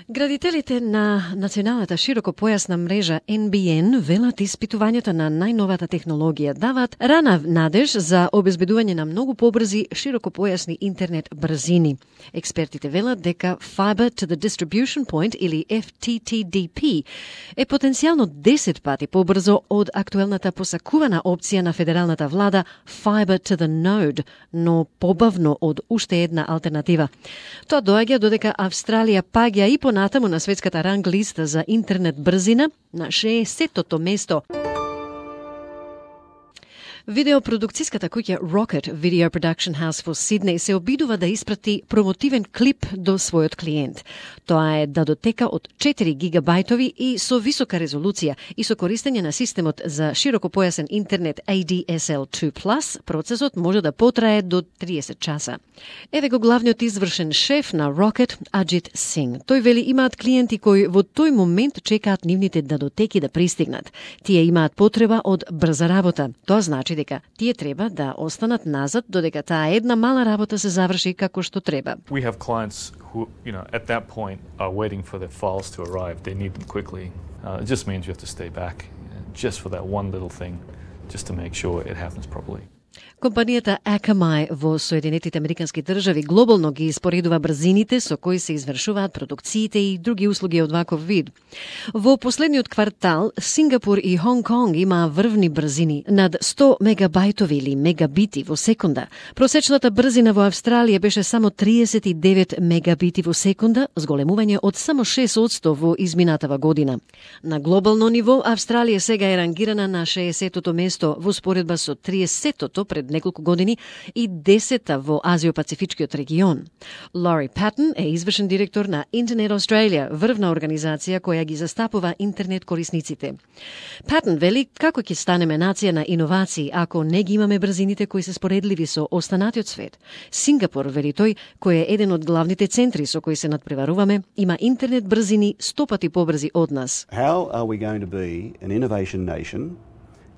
Градителите на националната широкопојасна мрежа NBN велат испитувањето на најновата технологија даваат рана надеж за обезбедување на многу побрзи широкопојасни интернет брзини. Експертите велат дека Fiber to the Distribution Point или FTTDP е потенцијално 10 пати побрзо од актуелната посакувана опција на федералната влада Fiber to the Node, но побавно од уште една алтернатива. Тоа доаѓа додека Австралија паѓа и понатаму на светската ранг листа за интернет брзина на 60-тото место. Видеопродукцијската куќа Rocket Video Production House во Сиднеј се обидува да испрати промотивен клип до својот клиент. Тоа е датотека од 4 гигабајтови и со висока резолуција и со користење на системот за широкопојасен интернет ADSL2+, процесот може да потрае до 30 часа. Еве го главниот извршен шеф на Rocket, Аџит Синг. Тој вели имаат клиенти кои во тој момент чекаат нивните датотеки да пристигнат. Тие имаат потреба од брза работа. Тоа значи дека тие треба да останат назад додека таа една мала работа се заврши како што треба. We have clients who, at that point are waiting for their files to arrive. They need them quickly. It just means you have to stay back just for that one little thing, just to make sure it happens properly. Компанијата Akamai во Соединетите Американски држави глобално ги испоредува брзините со кои се извршуваат продукциите и други услуги од ваков вид. Во последниот квартал, Сингапур и Хонг Конг имаа врвни брзини над 100 мегабајтови или мегабити во секунда. Просечната брзина во Австралија беше само 39 мегабити во секунда, зголемување од само 6% во изминатава година. На глобално ниво, Австралија сега е рангирана на 60-тото место во споредба со 30-тото пред неколку години и 10-та во Азио-Пацифичкиот регион. Лори Патон е извршен директор на Internet Australia, врвна организација која ги застапува интернет корисниците. Патон вели како ќе станеме нација на иновации ако не ги имаме брзините кои се споредливи со останатиот свет. Сингапур, вели тој, кој е еден од главните центри со кои се надпреваруваме, има интернет брзини 100 пати побрзи од нас. How are we going to be an innovation nation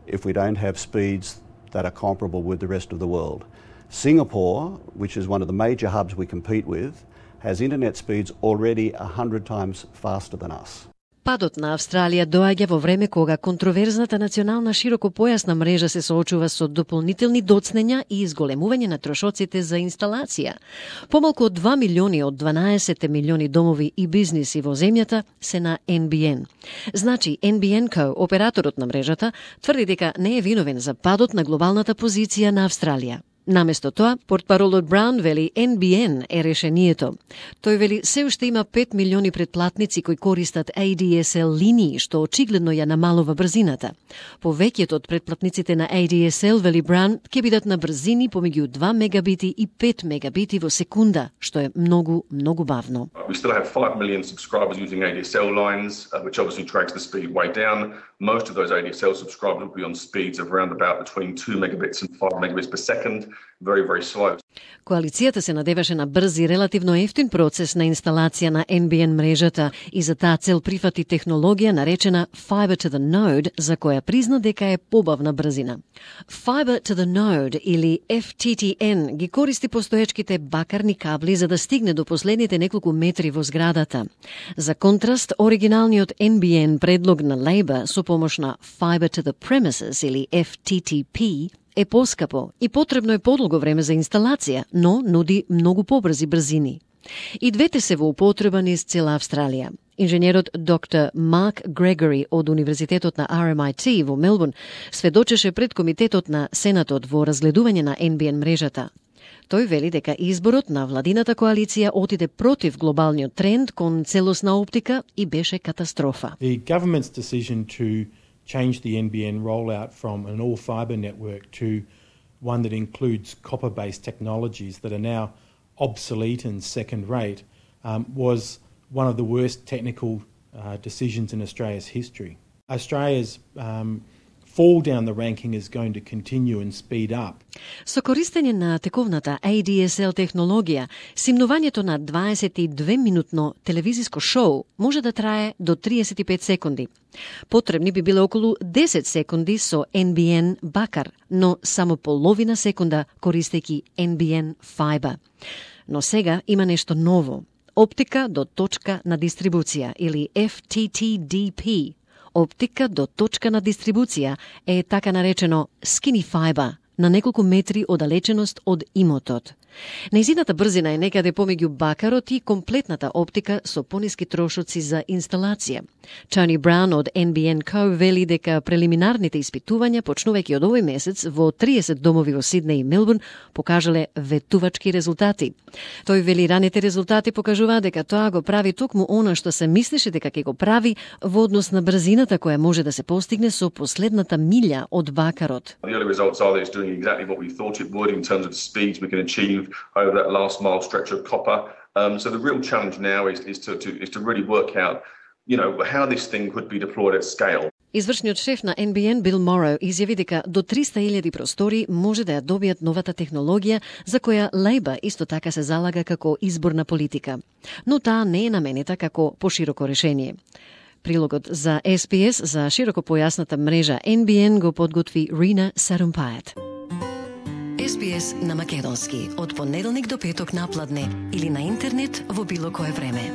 if we don't have speeds that are comparable with the rest of the world? Singapore, which is one of the major hubs we compete with, has internet speeds already 100 times faster than us. Падот на Австралија доаѓа во време кога контроверзната национална широкопојасна мрежа се соочува со дополнителни доцнења и изголемување на трошоците за инсталација. Помалку од 2 милиони од 12 милиони домови и бизниси во земјата се на NBN. Значи, NBN Co, операторот на мрежата, тврди дека не е виновен за падот на глобалната позиција на Австралија. Наместо тоа, портпаролот Браун вели NBN е решението. Тој вели се уште има 5 милиони претплатници кои користат ADSL линии, што очигледно ја намалува брзината. Повеќето од претплатниците на ADSL, вели Браун, ќе бидат на брзини помеѓу 2 мегабити и 5 мегабити во секунда, што е многу, многу бавно. We still have 5 million subscribers using ADSL lines, which obviously drags the speed way down. Most of those ADSL subscribers will be on speeds of around about between 2 megabits and 5 megabits per second. Very, very slow. Коалицијата се надеваше на брз и релативно ефтин процес на инсталација на NBN мрежата и за таа цел прифати технологија наречена Fiber to the Node, за која призна дека е побавна брзина. Fiber to the Node или FTTN ги користи постоечките бакарни кабли за да стигне до последните неколку метри во зградата. За контраст, оригиналниот NBN предлог на Labour со помош на Fiber to the Premises или FTTP е поскапо и потребно е подолго време за инсталација, но нуди многу побрзи брзини. И двете се во употреба низ цела Австралија. Инженерот доктор Марк Грегори од Универзитетот на RMIT во Мелбурн сведочеше пред комитетот на Сенатот во разгледување на NBN мрежата. Тој вели дека изборот на владината коалиција отиде против глобалниот тренд кон целосна оптика и беше катастрофа. The government's decision to change the NBN rollout from an all-fibre network to one that includes copper-based technologies that are now obsolete and second-rate was one of the worst technical decisions in Australia's history. Australia's fall down the ranking is going to continue and speed up. Со користење на тековната ADSL технологија, симнувањето на 22-минутно телевизиско шоу може да трае до 35 секунди. Потребни би биле околу 10 секунди со NBN бакар, но само половина секунда користејќи NBN Fiber. Но сега има нешто ново. оптика до точка на дистрибуција или FTTDP. Оптика до точка на дистрибуција е така наречено skinny fiber, на неколку метри оддалеченост од имотот. Нејзината брзина е некаде помеѓу бакарот и комплетната оптика со пониски трошоци за инсталација. Тони Браун од NBN Co вели дека прелиминарните испитувања, почнувајќи од овој месец во 30 домови во Сиднеј и Мелбурн, покажале ветувачки резултати. Тој вели раните резултати покажуваат дека тоа го прави токму она што се мислеше дека ќе го прави во однос на брзината која може да се постигне со последната милја од бакарот. The early results are that it's doing exactly what we thought it would in terms of the speeds we can achieve over that last mile stretch of copper. So the real challenge now is to really work out, how this thing could be deployed at scale. Извршниот шеф на NBN Бил Моро изјави дека до 300.000 простори може да ја добијат новата технологија за која Лейбор исто така се залага како изборна политика. Но таа не е наменита како пошироко решение. Прилогот за SPS за широкопојасната мрежа NBN го подготви Рина Сарумпајат. SPS на македонски од понеделник до петок напладне или на интернет во било кое време.